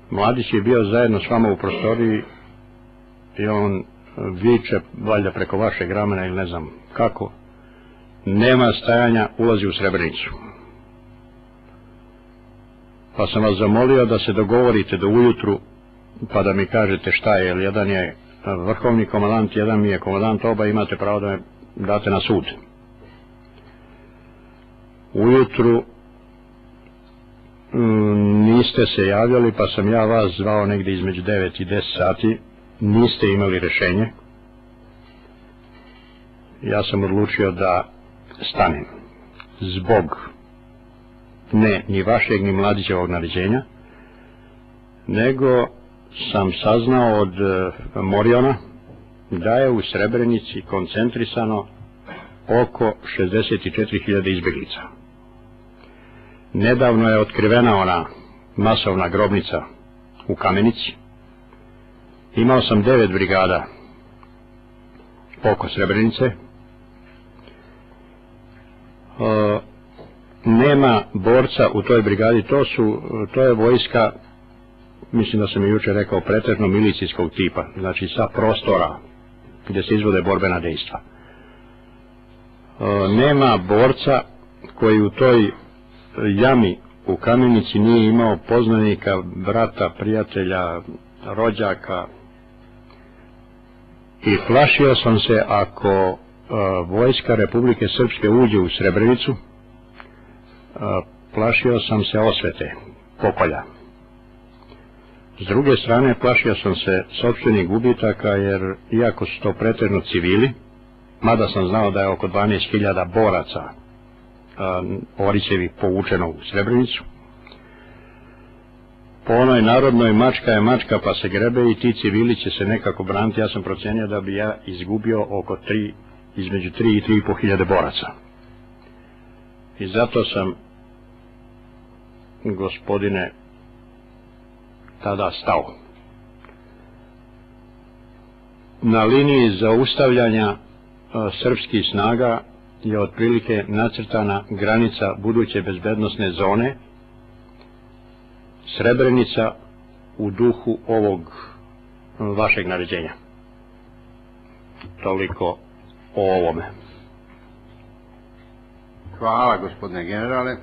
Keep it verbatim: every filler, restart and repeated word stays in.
Mladić je bio zajedno s vama u prostoriji i on viče, valjda preko vašeg ramena ili ne znam kako, nema stajanja, ulazi u Srebrenicu. Pa sam vas zamolio da se dogovorite do ujutru, pa da mi kažete šta je, jer jedan je vrhovni komandant, jedan mi je komandant, oba imate pravo da me date na sud. Ujutru niste se javljali, pa sam ja vas zvao negdje između devet i deset sati, niste imali rješenje. Ja sam odlučio da stanem zbog ne ni vašeg ni Mladićevog naređenja, nego sam saznao od Moriona da je u Srebrenici koncentrisano oko šezdeset četiri hiljade izbjeglica. Nedavno je otkrivena ona masovna grobnica u Kamenici. Imao sam devet brigada oko Srebrenice. E, nema borca u toj brigadi, to su, to je vojska, mislim da sam i jučer rekao, pretežno milicijskog tipa, znači sa prostora gdje se izvode borbena dejstva. E, nema borca koji u toj jami u Kamenici nije imao poznanika, brata, prijatelja, rođaka, i plašio sam se ako e, vojska Republike Srpske uđe u Srebrenicu, e, plašio sam se osvete, pokolja. S druge strane, plašio sam se sopstvenih gubitaka, jer iako su to pretežno civili, mada sam znao da je oko dvanaest hiljada boraca Orićevi povučeno u Srebrenicu, po onoj narodnoj mačka je mačka pa se grebe i ti civili će se nekako braniti. Ja sam procenio da bi ja izgubio oko tri, između tri i tri i po hiljade boraca. I zato sam, gospodine, tada stao. Na liniji zaustavljanja srpskih snaga je otprilike nacrtana granica buduće bezbednosne zone, Srebrenica u duhu ovog vašeg naređenja. Toliko o ovome. Hvala, gospodine generale.